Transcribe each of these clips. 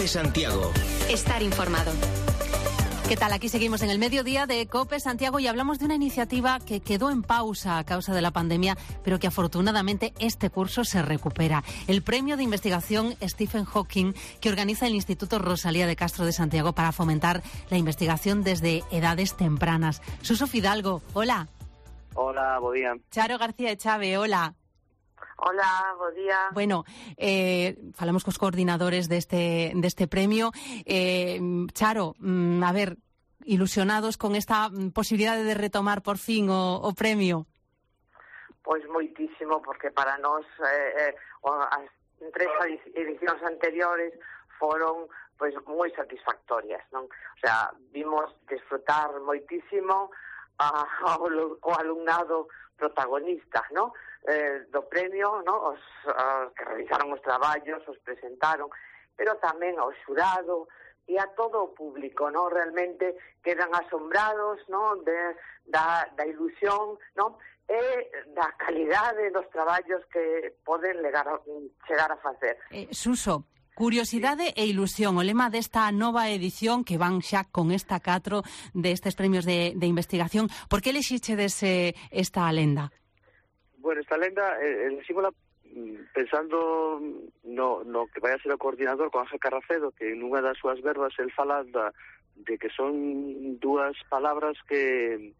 Santiago. Estar informado. ¿Qué tal? Aquí seguimos en el mediodía de COPE Santiago y hablamos de una iniciativa que quedó en pausa a causa de la pandemia, pero que afortunadamente este curso se recupera. El premio de investigación Stephen Hawking, que organiza el Instituto Rosalía de Castro de Santiago para fomentar la investigación desde edades tempranas. Suso Fidalgo, hola. Hola, bo día. Charo García Echave, hola. Hola, bo día. Bueno, falamos cos coordinadores deste premio. Charo, a ver, ilusionados con esta posibilidade de retomar por fin o premio? Pois moitísimo, porque para nós as tres edicións anteriores foron pois moi satisfactorias, non? O sea, vimos desfrutar moitísimo ao alumnado protagonista, non? Do premio, non? Os que realizaron os traballos, os presentaron, pero tamén ao xurado e a todo o público, non? Realmente quedan asombrados, non? Da ilusión, non? E da calidade dos traballos que poden chegar a facer. Suso, curiosidade e ilusión, o lema desta nova edición que van xa con esta 4 destes premios de investigación. Por que elixichedes esta lenda? Bueno, esta lenda, elegímola pensando no que vai a ser o coordinador con Ángel Carracedo, que en unha das súas verbas el fala de que son dúas palabras que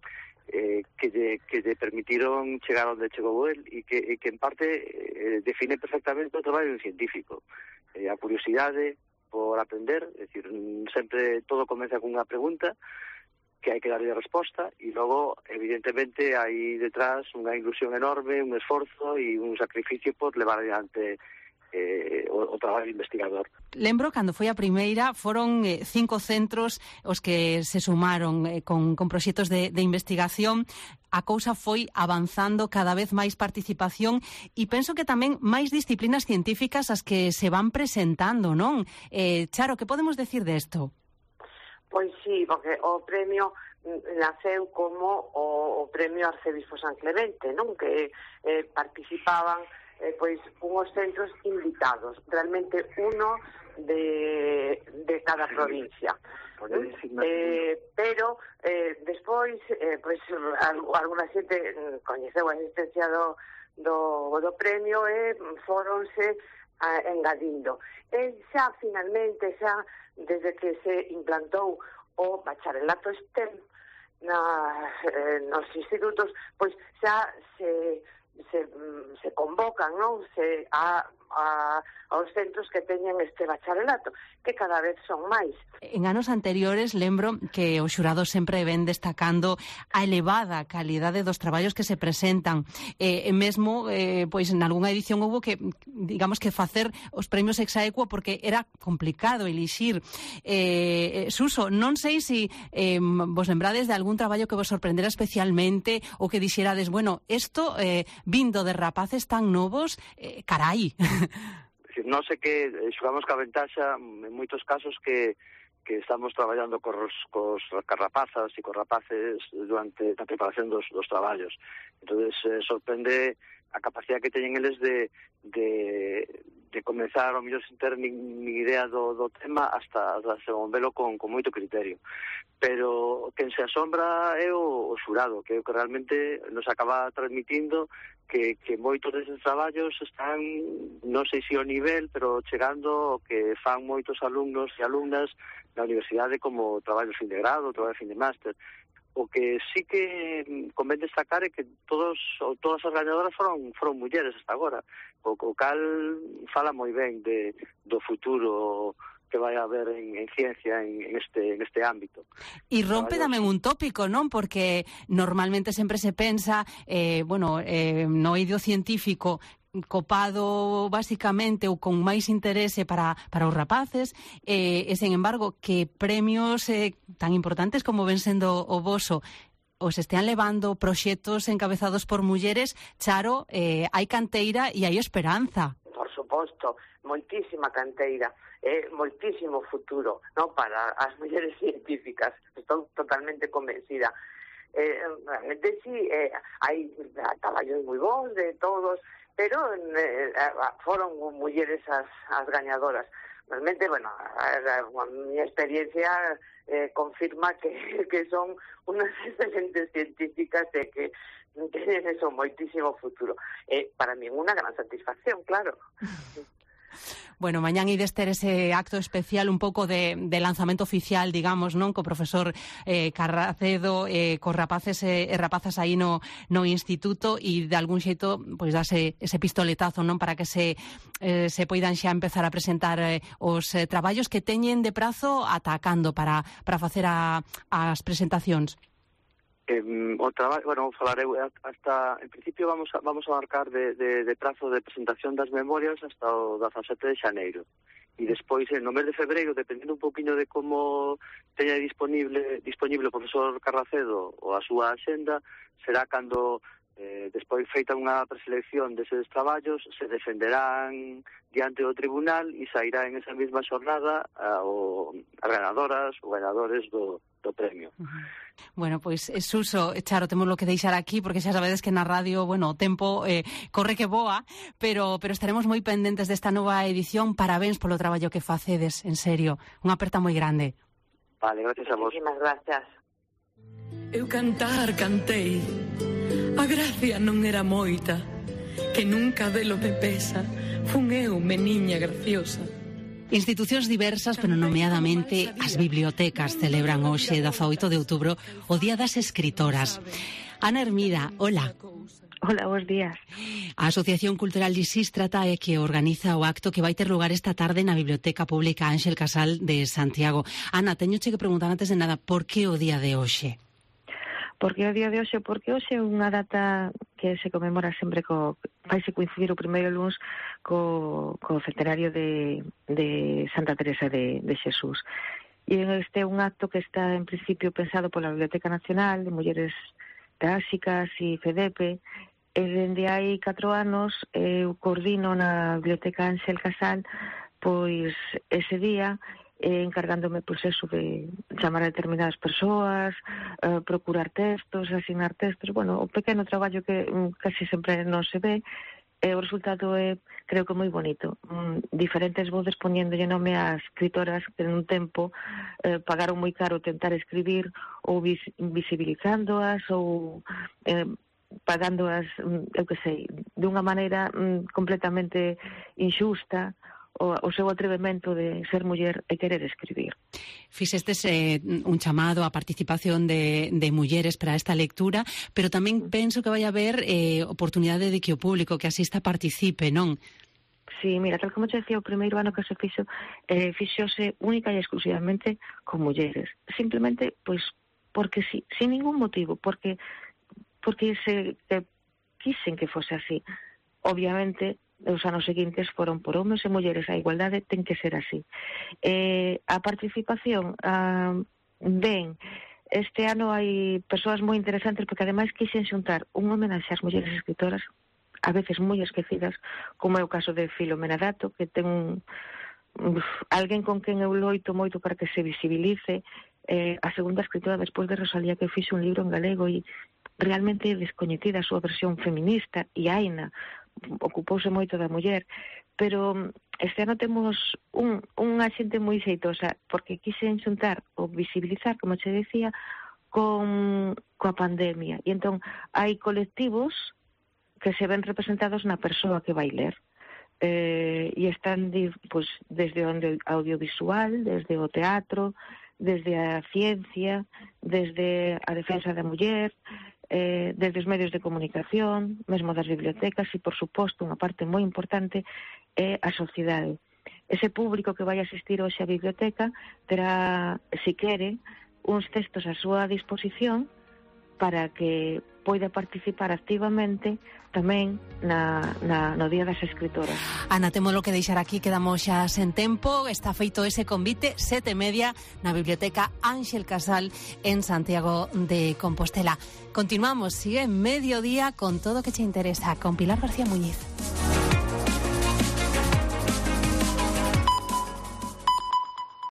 lle permitiron chegar onde chegou el e que en parte define perfectamente o traballo científico. A curiosidade por aprender, é dicir, sempre todo comeza con unha pregunta que hai que darlle resposta e logo, evidentemente, hai detrás unha ilusión enorme, un esforzo e un sacrificio por levar adiante o traballo investigador. Lembro, cando foi a primeira, foron 5 centros os que se sumaron con proxectos de investigación. A cousa foi avanzando, cada vez máis participación e penso que tamén máis disciplinas científicas as que se van presentando, non? Charo, que podemos decir desto? Pois sí, porque o premio naceu como o premio Arcebispo San Clemente, non? Que participaban pois unhos centros invitados, realmente uno de cada provincia. Pero despois pois alguna xente coñeceu a existencia do premio e foronse engadindo. E xa finalmente, xa desde que se implantou o bacharelato STEM nos institutos, pois xa se convocan, non? Aos centros que teñen este bacharelato, que cada vez son máis. En anos anteriores lembro que o xurado sempre ven destacando a elevada calidade dos traballos que se presentan. Mesmo, pois, en algunha edición houve que, digamos, que facer os premios ex aequo porque era complicado elixir. Suso, non sei se vos lembrades de algún traballo que vos sorprendera especialmente ou que dixerades, bueno, isto vindo de rapaces tan novos, carai. Non sei que xogamos ca ventaxa en moitos casos que estamos traballando cos rapazas e cos rapaces durante a preparación dos traballos. Entón, sorprende a capacidade que teñen eles de comenzar, ao mellor, sin ter nin idea do tema hasta desenvolvelo con moito criterio. Pero quen se asombra é o xurado, que realmente nos acaba transmitindo que moitos deses traballos están, non sei se ao nivel, pero chegando o que fan moitos alumnos e alumnas na universidade como traballo fin de grado, traballo fin de máster. O que sí que convén destacar é que todas as gañadoras foron mulleres hasta agora, o cal fala moi ben do futuro que vai haber en ciencia en este ámbito. E rompe tamén un tópico, non? Porque normalmente sempre se pensa, no eido científico copado basicamente ou con máis interese para os rapaces e, sen embargo, que premios tan importantes como ven sendo o voso os estean levando proxectos encabezados por mulleres. Charo, hai canteira e hai esperanza. Por suposto, moitísima canteira, moitísimo futuro, ¿no? Para as mulleres científicas. Estou totalmente convencida. Realmente sí, hai traballos moi bons de todos, pero foron mulleres as gañadoras. realmente, bueno, a mi experiencia confirma que son unas excelentes científicas e que tienen eso moitísimo futuro. Para mí unha gran satisfacción, claro. Bueno, mañán ides ter ese acto especial un pouco de lanzamento oficial, digamos, non? Co profesor Carracedo, cos rapaces e rapazas aí no instituto e de algún xeito pois dase ese pistoletazo, non? Para que se poidan xa empezar a presentar os traballos que teñen de prazo atacando para facer as presentacións. O traballo, bueno, falarei hasta, en principio vamos a marcar de prazo de presentación das memorias hasta o 17 de xaneiro. E despois, no mes de febreiro, dependendo un poquinho de como teña disponible o profesor Carracedo ou a súa axenda, será cando despois feita unha preselección deses traballos, se defenderán diante do tribunal e sairá en esa mesma xornada as ganadoras ou ganadores do premio. Bueno, pois, Suso, Charo, temos lo que deixar aquí, porque xa sabedes que na radio, bueno, o tempo corre que voa, pero estaremos moi pendentes desta nova edición. Parabéns polo traballo que facedes, en serio. Unha aperta moi grande. Vale, gracias a vos. Muchísimas gracias. Eu cantei, a gracia non era moita, que nunca delo me pesa, fun eu, meniña graciosa. Institucións diversas, pero nomeadamente as bibliotecas, celebran hoxe, 18 de outubro, o Día das Escritoras. Ana Hermida, hola. Hola, bons días. A Asociación Cultural Lisístrata é que organiza o acto que vai ter lugar esta tarde na Biblioteca Pública Ángel Casal de Santiago. Ana, teñoche que preguntar antes de nada, por que o día de hoxe? Por que o día de hoxe? Porque hoxe é unha data que se conmemora sempre vaise coincidir o primeiro luns co centenario de Santa Teresa de Xesús. E este é un acto que está en principio pensado pola Biblioteca Nacional de Mulleres Teáxicas e FEDEPE, e dende hai 4 anos eu coordino na Biblioteca Ángel Casal pois ese día, encargándome pois eso de chamar a determinadas persoas, procurar textos, asignar textos, bueno, o pequeno traballo que casi sempre non se ve, e o resultado é, creo que moi bonito. Diferentes voces poñéndolle nome a escritoras que nun tempo pagaron moi caro tentar escribir, ou visibilizándoas, ou pagándoas, eu que sei, de unha maneira completamente inxusta, o seu atrevemento de ser muller e querer escribir. Fixestes un chamado á participación de mulleres para esta lectura, pero tamén penso que vai haber oportunidade de que o público que asista participe, non? Sí, mira, tal como te decía, o primeiro ano que se fixose única e exclusivamente con mulleres. Simplemente, pois, porque sí, sin ningún motivo, porque se quisen que fose así. Obviamente, os anos seguintes foron por homes e mulleres, a igualdade ten que ser así. A participación, ben, este ano hai persoas moi interesantes porque ademais quixen xuntar un homenaxe ás mulleres escritoras, a veces moi esquecidas, como é o caso de Filomena Dato, que ten alguén con quen eu loito moito para que se visibilice, a segunda escritora despois de Rosalía, que fixe un libro en galego e realmente descoñecida a súa versión feminista, e Aina ocupouse moito da muller, pero este ano temos unha xente moi xeitosa, porque quixen xuntar ou visibilizar, como che decía, coa pandemia. E entón hai colectivos que se ven representados na persoa que vai ler. E están pues, desde o audiovisual, desde o teatro, desde a ciencia, desde a defensa da muller, desde os medios de comunicación, mesmo das bibliotecas e, por suposto, unha parte moi importante é a sociedade. Ese público que vai asistir hoxe á biblioteca terá, se quere, uns textos á súa disposición para que poida participar activamente tamén no Día das Escritoras. Ana, témolo que deixar aquí, quedamos xa sen tempo. Está feito ese convite, 7:30, na Biblioteca Ángel Casal en Santiago de Compostela. Continuamos, sigue Mediodía con todo o que che interesa, con Pilar García Muñiz.